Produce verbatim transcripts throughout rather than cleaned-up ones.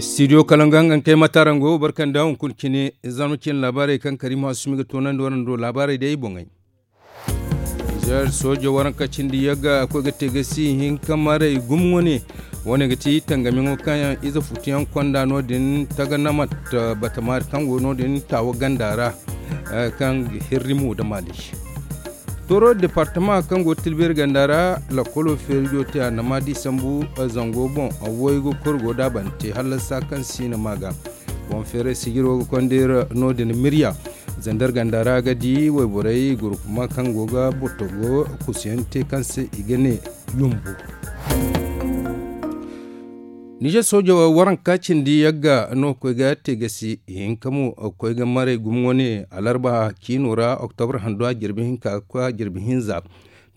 Studio kala nga nga kay matarango barkanda hunkuna cine. Zama cine laabaarey kaŋ kariima sumi ga toonandi waraŋ do laabaarey day boŋey. Nizeer soojo waranka cindi yagga a koy ga te ga si hinka maray gumo wane. Wane ga ti tangamiyaŋo kaŋ yaŋ ize futuyaŋ konda no- din taga namat batamaari kaŋ go no- din taawa ganda ra. Kaŋ ga hirri mo da maali. Tooro departama kaŋ go tilbeeri ganda ra, lakkolo feerijo te a na ma di sambu zango boŋ. Waygu kulu go daabante hallasa kaŋ si na ma ga. Boŋ feeray sijiro ga konda iri no- din mirya. Zandar ganda ra ga di wayborey gurkuma kaŋ go ga bottogo kusuyaŋ te kaŋ se i ga ne yumbu. Nizeer soojo waranka cindi yagga no koy ga te gasi hinka mo koy ga maray gumo wane alarba ciino ra oktobra hando a jirbi hinka ga koy a jirbi hinza.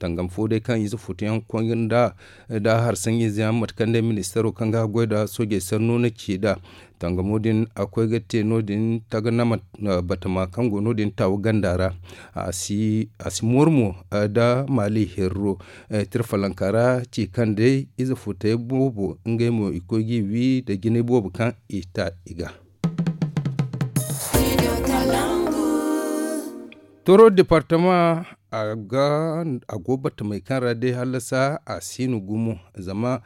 Tangam fo day kaŋ ize futuyaŋ konda da harsanjiize yaŋ mate kaŋ day ministeero kaŋ ga goy da soojey sanno na ci nd'a. Tangamo din a koy ga te no- din taganama batama kaŋ go no- din taawa ganda ra. A si mooru mo da maali herro. Tirfalanka ra ci kaŋ day ize futey boobo ngey mo i koy g'i wi nda jinay boobo kaŋ i ta i ga. Toro departama a go batamey kaŋ ra day hallasa a si no gumo. Zama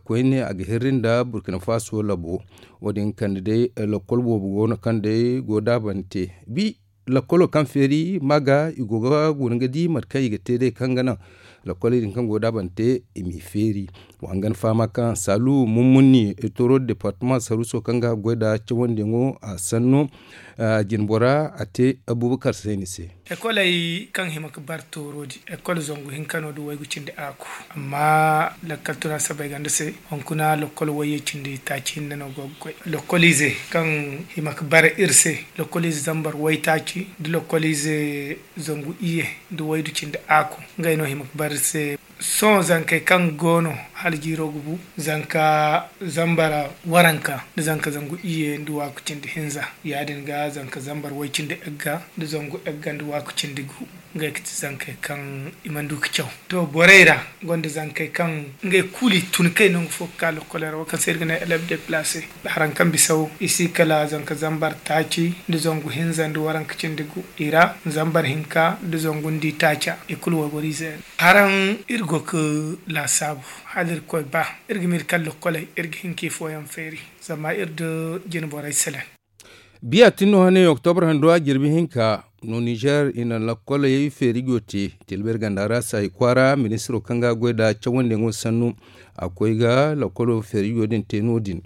koyne a ga hirri nda burkina faso labo. Wo- din kande day lakkol boobo go no kaŋ day go daabante bi lakkolo kaŋ feeri ma ga i go ga guna ga di mate kaŋ i ga te day kaŋ ga naŋ. Lakkoley din kaŋ go daabante i m'i feeri. Wa hangan fahama kaŋ saalu mummunni toro departama saruuso kaŋ ga goy nda cawandiyaŋo a sanno jinbora a te abubakar sayni se. Ekoley kaŋ hima ga bar toorodi ekol zangu hinka no nda waygu cindi aaku. Amma lakkal tuna sabay ganda se hunkuna lakkol wayye cindi taaci hinne no go ga goy. Lakkoliize kaŋ hima ga bar iri se lakkoliize zambar waytaaci nda lakkoliize zangu iyye nda waydu cindi aaku. Ngey no hima ga bar iri se. Sohõ zankey kaŋ go no hala jiiro ga bu zanka zambar waranka nda zanka zangu iyye nda waaku cindi hinza. Ya- din ga zanka zambar way cindi egga nda zangu egga nda waaku cindi gu. Ngey ga ti zankey kaŋ i mana du ga caw. To borey ra gonda zankey kaŋ ngey kulu i tun kay nangu fo ga ka lokkoley ra wo kaŋ se iri ga ne elef deplace. Haraŋ kaŋ bisaw i si kala zanka zambar taaci nda zangu hinza nda waranka cindi gu i ra zambar hinka nda zangu nda i taaca i kulu wayboro ize. Haraŋ iri go ga laasaabu hala iri koy ba iri ga miiri kaŋ lokkoley iri ga hin ka i fooyaŋ feeri. Zama iri nda jine borey selaŋ. Biya tin no hane oktobra hando a jirbi hinka no nizer i na lakkoley feerijo te. Tilbir ganda ra saayi kwaara ministiro kaŋ ga goy nda cawandiyaŋo sannu a koy ga lakkolo feerijo din te no- din.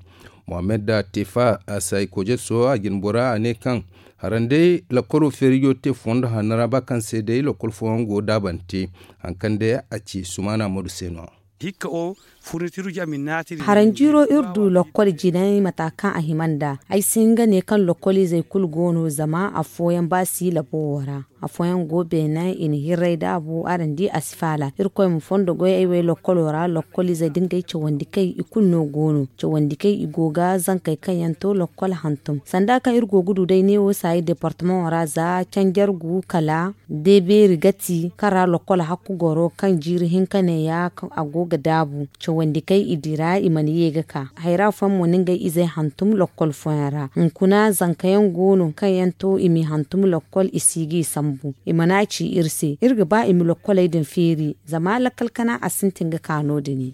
Mohammed da tefa a saayi kojeso a jinbora a ne kaŋ haraŋ day lakkolo feerijo te fondo hanno ra ba kaŋ se day lakkol fooyaŋ go daabante. Haŋ kaŋ day a ci sumaana modu se no. Hikka o furnitiru jamin naatiri. Haraŋ jiiro iri du lokkol jinay mata kaŋ a hima nd'a. Ay si hin ga ne kaŋ lokkoliizey kulu go no zama afooyaŋ ba si labo wo ra. Afooyaŋ go beene i na hirray daabu araŋ di a si faala. Irkoy ma fondo goy ay wey lokkolo ra lokkoliizey da ngey cawandi kay i kulu no go no. Cawandi kay i go ga zankey kaŋ yaŋ to lokkol hantum sanda kaŋ iri go ga du day neewo saayi departamaŋo ra za canjargu kala deebeeri gati kaŋ ra lokkol hakku goro kaŋ jiiri hinka neeya a go ga daabu. Cawandi kay i dira i mana ye ga ka hayra fooyaŋ mo na ngey izey hantum lokkol fooyaŋ ra. Hunkuna zanka yaŋ go no kaŋ yaŋ to i m'i hantum lokkol i si g'i sambu i mana ci iri se iri ga ba i ma lokkoley din feeri. Zama lakkal kana a sintin ga ka no- din.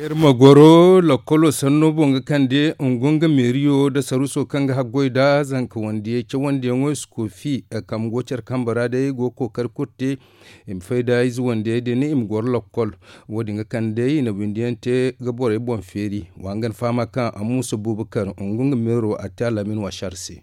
Iri ma goro lakkolo sanno boŋ ga kande ngu nga meeriyo nda saruuso kaŋ ga haggoy nda zanka wandiyey cawandiyaŋo i si koofi. Kambe go care kambe ra day go ga kookari kulu te i ma fay nda ize wandiyey din i ma goro lakkol. Wo- din ga kande day i na windiyaŋ te ga borey boŋ feeri. Wa nga ni fahama kaŋ a muusa buubakar ngu nga meero a te al'amin waasar se.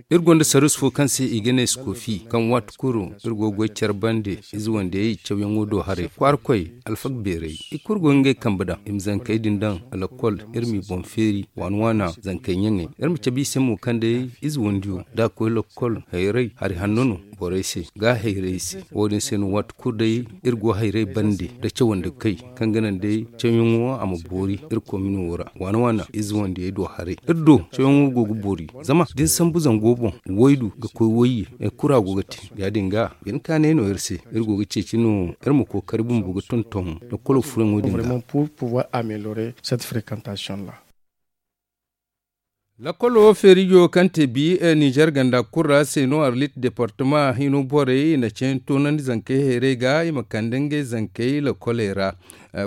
Iri gonda sarus fo kaŋ se i ga ne skofi kaŋ waati kulu iri go ga goy care bande. Ize wandiyey cawyaŋo do haray kwaarakoy alfak beerey i kulu go ga ngey kambe daŋ i ma zankey din daŋ. Lakkol iri m'i boŋ feeri waana waana zankey ɲaŋey iri ma cabe i se mo kaŋ day ize wandiyo da a koy lakkol hayray hari hanno no. Borey se ga hayray se wo- din se no waati kulu day iri go hayray bande nda cawandi kay kaŋ ga naŋ day cawyaŋo a ma boori iri komino wo ra waana waana ize wandiyey do haray iri do cawyaŋo go ga boori. Zama da ni sambu zango boŋ waydu ga koy wayye kura go ga te ya- din ga bine kaanay no iri se. Iri go ga ceeci Sino iri ma kookari bumbo ga tonton lakkolo furaŋo din ra. Vraiment pour pouvoir améliorer cette fréquentation là. Lakkolo feerijo kaŋ te bi nizer ganda kulu ra se no arlit departama hino borey i na ceeyaŋ toonandi zankey heerey ga i ma kande ngey zankey lakkoley ra.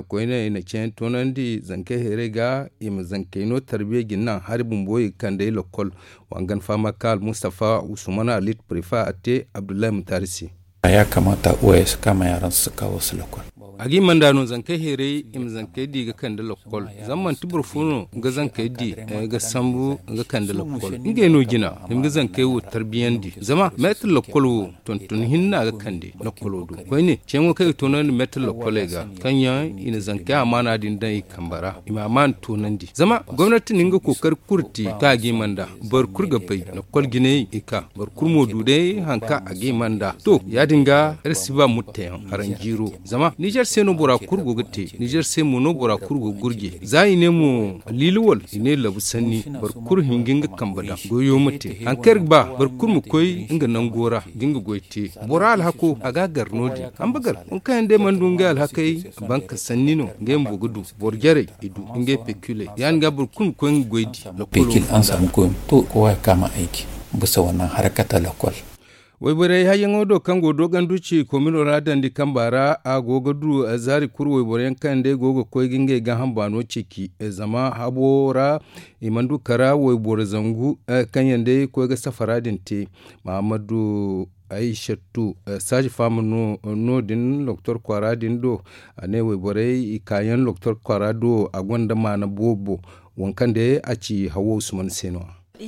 Koyne i na ceeyaŋ toonandi zankey heerey ga i ma zankey no tarbiya jina hari bumbo i ga kandey lakkol. Wangan fama ka almustafa usman arlit prefa a te abdullahi mutari se. A ya kamata uwaye su kama yaran su kawo su lakkol. A ga i manda no zankey heerey i ma zankey di ga kande lakkol. Zama manti boro fo no ga zankey di ga sambu ga kande lakkol ngey no jina. Ni ma ga zankey wo tarbiyandi zama meetar lakkol wo tonton hinna ga kande lakkolo do koyne ceeyaŋo kaŋ i ga toonandi meetar lakkoley ga kaŋ yaŋ i na zankey amaana din daŋ i kambe ra i ma amaana toonandi zama gomnati na nga kookari kulu te kaŋ a ga i manda. Boro kulu ga bay lakkol jinay i ka boro kulu mo du day hari kaŋ a ga i manda. To ya- din ga iri si ba mutteyaŋ haraŋ jiiro. Zama nizer se no bora kulu go ga te nizer se mo no bora kulu go ga gurje za i ne mo liili wala i ne labu sanni. Boro kulu hin ga nga kambe daŋ goyo ma te hari kaŋ iri ga ba boro kulu ma koy nga nango ra ga nga goy te. Bora alhako a ga a gar no- din hamba gar waŋ kaŋ yaŋ day mana du ngey alhakey banka sanni no ngey bumbo ga du. Boro jarey i du ngey pekiley ya- din ga boro kulu ma koy nga goy di. Lakkolo pekil ansa ma koy to kowa ga ka ma ayke bisa wannan harkata lakkol. Wayborey hayyaŋo do kaŋ go doogandu ci komino ra dandi kamba ra a go ga du zaari kulu wayboro yaŋ kaŋ day go ga koy ga ngey gaaham baano ceeci zama habo ra i mana du kara wayboro zangu kaŋ yaŋ day koy ga safara din te. Mahammadu aysatu saaji faama no- din doktor kwaara din do. A ne wayborey i kaayaŋ doktor kwaara do a gonda maana boobo. Waŋ kaŋ day a ci hawo usman se no- ya.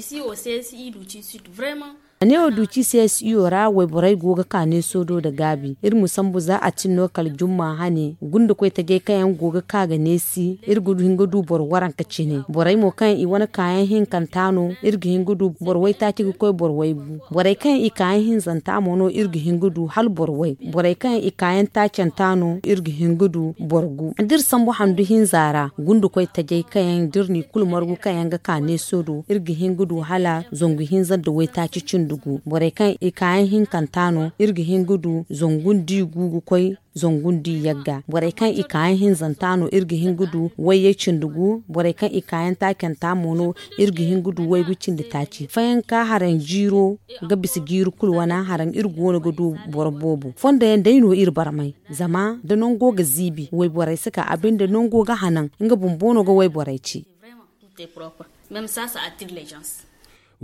A ne wo duuci se siyo ra wayborey go ga ka neeso do nda gaabi iri ma sambu za a tin no kala jumma hane gunda koy tajey kaŋ yaŋ go ga ka ga neesi iri ga hin ga du boro waranka cine borey mo kaŋ i wane kaayaŋ hinkanta no iri ga hin ga du boro waytaaci ga koy boro waygu. Borey kaŋ yaŋ i kaayaŋ hinzanta mo no iri ga hin ga du hala boro way borey kaŋ yaŋ i kaayaŋ taacanta no iri ga hin ga du boro gu da iri sambu handu hinza ra gunda koy tajey kaŋ yaŋ da iri n'i kulu margu kaŋ yaŋ ga ka neeso do iri ga hin ga du hala zangu hinza nda waytaaci cindi gu borey kaŋ i kaayaŋ hinkanta no iri ga hin ga du zangu nda i gu ga koy zangu nda i yagga borey kaŋ i kaayaŋ hinzanta no iri ga hin ga du wayyey cindi gu borey kaŋ i kaayaŋ taacanta mo no iri ga hin ga du waygu cindi taaci fayanka haraŋ jiiro ga bisa jiiri kulu wane haraŋ iri go no ga du boro boobo fondo yaŋ day no iri barmay. Zama da nango ga ziibi wayborey si ka a binde nango ga hanan nga bumbo no ga wayborey ci.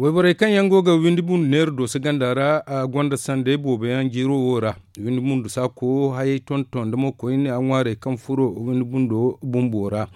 Wayborey kaŋ yaŋ go ga windi bundu neera dooso ganda ra a gonda sanday boobo yaŋ jiiro wo ra. Windi bundu saako hayey tonton nda mo koyne a ŋwaarey kaŋ furo windi bundo bumbo ra.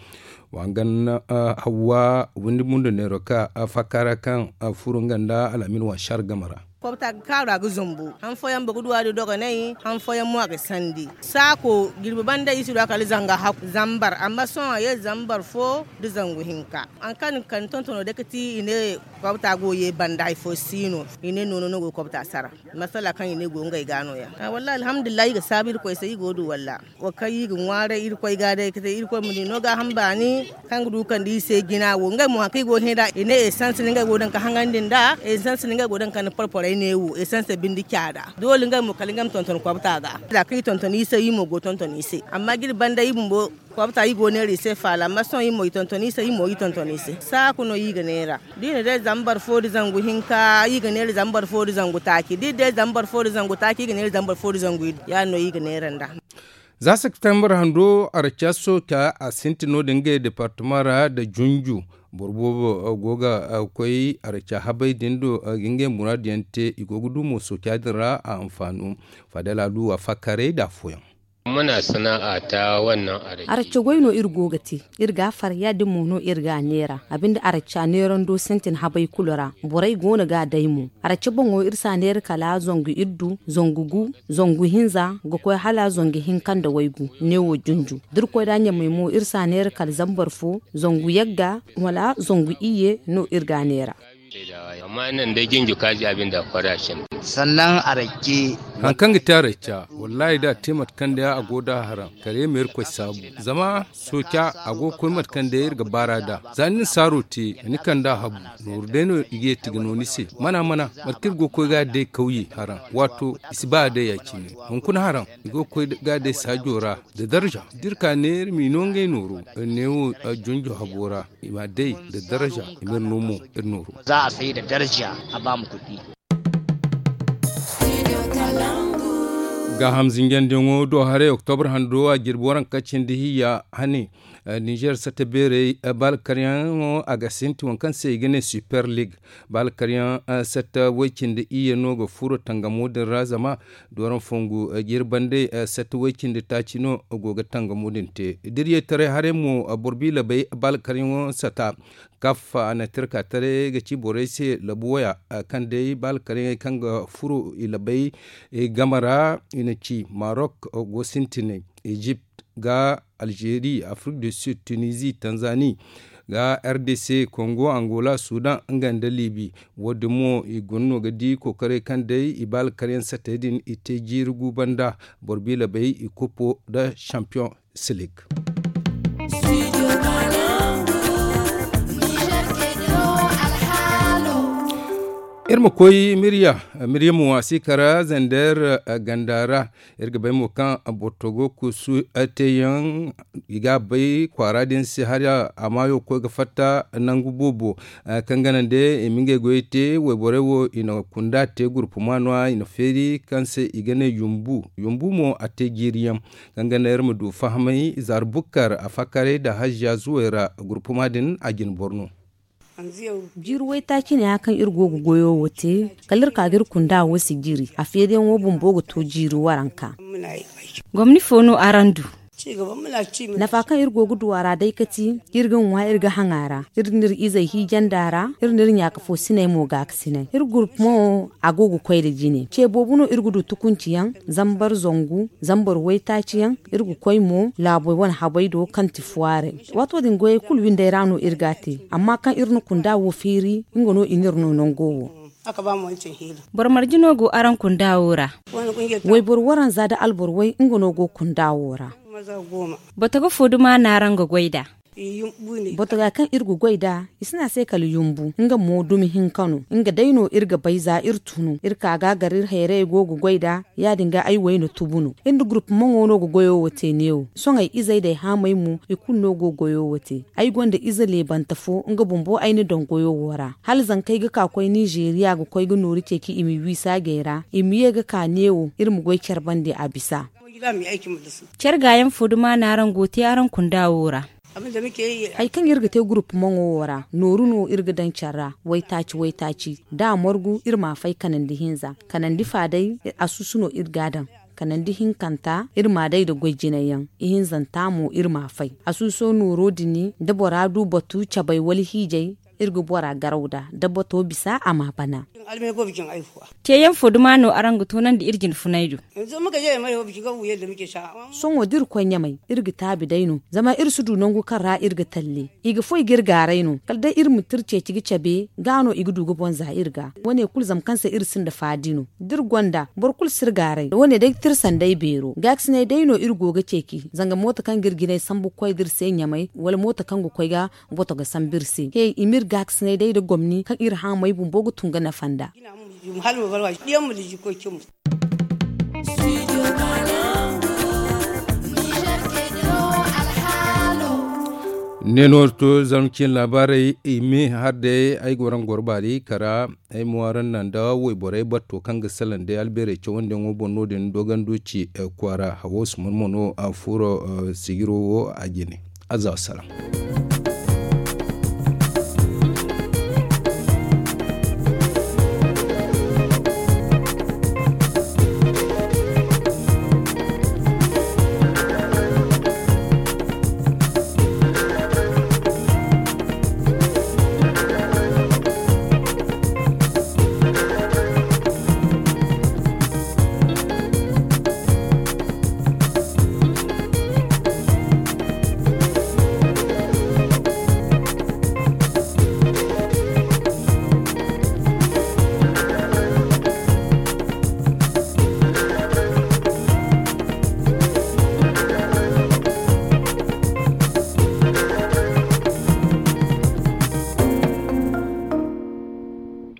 Wangan hawwa windi bundu neero ka faaka ra kaŋ furo nga nda alhamin wansar game ra. Kobta ga kaaru a ga zumbu han fooyaŋ boro ga du a di dogonay han fooyaŋ mo a ga sandi. Saako jirbi banda i si du a kala zanga hakku zambar amma sohõ a ye zambar fo nda zangu hinka. Haŋ kaŋ ni ga kande tontono day ga ti i ne kobta go ye banda hari fo si no i ne noono no go ga kobta sara. Masala kaŋ i ne go ngey ga no- ya. Wallahi alhamdulillahi i ga saabu irkoy se i go du walla. Wo kaŋ i ga ŋwaaray irkoy ga day ga te irkoy ma ni no gaaham baani kaŋ ga du ga kande i se jina wo ngey mo haŋ kaŋ i go ga hẽ nd'a i ne esans no ngey go ga daŋ ga haŋandi nd'a esans no ngey go ga daŋ ga kande porporey ne wo esans bindi caada doole ngey mo kala ngey ma tonton kobta ga. Za kaŋ i tonton i se i mo go ga tonton i se amma jiri banda i bumbo kobta i go ga neera i se faala amma sohõ i mo i tonton i se i mo i tonton i se saaku no i ga neera. Da i na day zambar fo da zangu hinka i ga neera zambar fo da zangu taaci da i day zambar fo da zangu taaci i ga neera zambar fo da zangu iddu ya- din no i ga neera nd'a. Za septembar hando araca sooca a sintin no- din ngey departama ra nda junju. Boro boobo go ga koy araca habey din do ga ngey muraadu yaŋ te i go ga du mo sooca din ra a hanfaano. Fadala du a fakkarey nda afooyaŋ. Muna sana'a ta wannan araca. Araca goy no iri go ga te. Iri ga a far ya- din mo no iri ga a neera a binde araca neerando sintin habey kulu ra borey go no ga a day mo. Araca boŋo iri si a neera kala zangu iddu zangu gu zangu hinza ga koy hala zangu hinka nda waygu neewo junju da iri koy nd'a ɲamey mo iri si a neera kala zambar fo zangu yagga wala zangu iyye no iri ga a neera. Amma nan day junju kaaji a binde a koy ra cindi. Sannan a racce. Haŋ kaŋ ga te a racca, wallaahi da a te mate kaŋ day a go da haraŋ kare ma irkoy saabu. Zama sooca a go ga koy mate kaŋ day iri ga baar'a nd'a. Za ni na saaro te, ni kand'a habu. Nooru day no i ga yeeti ga no ni se. Mana mana, mate kaŋ iri go ga koy ga a day kawye haraŋ, waato i si ba a day ya- cine. Hunkuna haraŋ, i go ga koy ga a day saajo ra nda darza. Da iri ka ne iri m'i no ngey nooru, iri ne wo junjo habo ra, i m'a day nda darza, i m'iri no mo iri nooru. Za a say nda darza, a ba ma kuɗi. Gaaham zinjandiyaŋo do haray oktobra hando a jirbi waranka cindi hiyya hane. Ninzeer satta beerey, baalkaryaŋ mo a ga sintin waŋ kaŋ se i ga ne super league. Baalkaryaŋ satta way-cindi iyye no ga furo tangamo din ra zama dooraŋ fongu jirbandey satta way-cindi taaci no go ga tangamo din te. Diryey taray haray mo, boro biila bay baalkaryaŋo satta. Kaf a na tirka taray ga ci borey se labu waya, kaŋ day baalkaryaŋey kaŋ ga furo i labey game ra i na ci marok go sintinay, ejipt ga alzeeri, afrik du sud, tunizi, tanzani, ga r d c, kongo, angola, sudan, nga nda libi. Wo- din mo i guna no ga di kookaray kaŋ day i baalkaryaŋ sattey din i te jiiri gu banda boro biila bay i kupo nda champion silik. Iri ma koy mirya. Mirya mo a si kara zander ganda ra. Iri ga bay mo kaŋ bortogo kusu teeyaŋ i ga a bay kwaara din se hari a maayo ga koy ga fatta nangu boobo. Kaŋ ga naŋ day i ma ngey goyey te wayborey wo i na kunda te gurpuma no- ya i na feeri kaŋ se i ga ne yumbu. Yumbu mo a te jiiriyaŋ. Kaŋ ga naŋ iri ma du fahamay zaara bukkar a fakkaray nda hajja zuway ra gurpuma din a jine boro no. Jiiri waytaaci ne ya kaŋ iri go ga goyo wo te kala iri ka ga iri kunda wo si jiri a feeriyaŋo bumbo ga to jiiri waranka. Gomni fo no araŋ du? Nafa kaŋ iri go ga du a ra day kati iri ga ŋwa iri ga haŋ a ra. Iri na iri izey hiijandi a ra. Iri na iri ɲaaka fo sinay mo gaakasinay iri gurpu mo. A go ga koy nda jine ce boobo no iri ga du tukunci yaŋ zambar zangu zambar waytaaci yaŋ. Iri ga koy mo laabey wane habey do kaŋ ti fuwaaray. Waato din goyey kulu windey ra no iri ga a te. Amma kaŋ iri na kunda wo feeri nga no i n'iri no nango wo. Boro marje no go araŋ kunda wo ra? Wayboro waranza nda alboro way nga no go kunda wo ra. Botogo fo duma no araŋ ga goy nd'a? Botoga kaŋ iri ga goy nd'a i si ne a se kala yumbu nga mo dumi hinka no nga day no iri ga bay za iri tunu iri ka ga a gar iri hayrayey go ga goy nd'a. Ya- din ga ay wayna tubu no iri nda gurpu maŋo no ga goyo wo te neewo sohõ ay izey nda ay haamey mo i kulu no go ga goyo wo te. Ay gonda ize leebante fo nga bumbo ay na daŋ goyo wo ra hala zanka ay ga ka koy ninzeeriya ga koy ga nooru ceeci i m'i wi saajey ra i ma ye ga ka neewo iri ma goy care bande a bisa. Care gaayaŋ fo duma no araŋ go ga te araŋ kunda wo ra? Hari kaŋ iri ga te gurpu maŋo wo ra nooru no iri ga daŋ care ra waytaaci waytaaci da a margu iri m'a fay kanandi hinza kanandi fa day. Asusu no iri ga a daŋ kanandi hinkanta iri m'a day nda goy jinay yaŋ. Ihinzanta mo iri m'a fay asuso nooro din da bora du batu cabay wala hiijay. Iri ga bora garaw nd'a da bato bisa a m'a bana. Teeyaŋ fo duma no araŋ ga toonandi iri jine funay do? Sohõ da iri koy ɲamay iri ga taabi day no zama iri si du nangu kaŋ ra iri ga talle. I ga foy ga iri gaaray no kala day iri ma tira ceeci ga cabe ga no i ga du ga boŋ za iri ga. Wo- ne kulu zama kaŋ se iri sinda faadi no da iri gonda boro kulu si iri gaaray wo- ne day ga tira sanday beero gaakasinay day no iri go ga ceeci zanga mooto kaŋ ga iri jinay sambu ga koy nda iri se ɲamay wala mooto kaŋ ga koy ga boto ga sambu iri se he i ma iri gaakasinay day nda gomni kaŋ iri haamay bumbo ga tun ga nafa nd'a. Ne no to zarma cine laabaarey i ma har day ay ga waraŋ goro baari kara. Ay ma waraŋ naŋ nda wayborey batto kaŋ ga salaŋ day albeerey cawandiyaŋo boŋ no- din doogando ci kwaara hawo suman mo no a furo sijiro wo a jine. Aza wasalaam.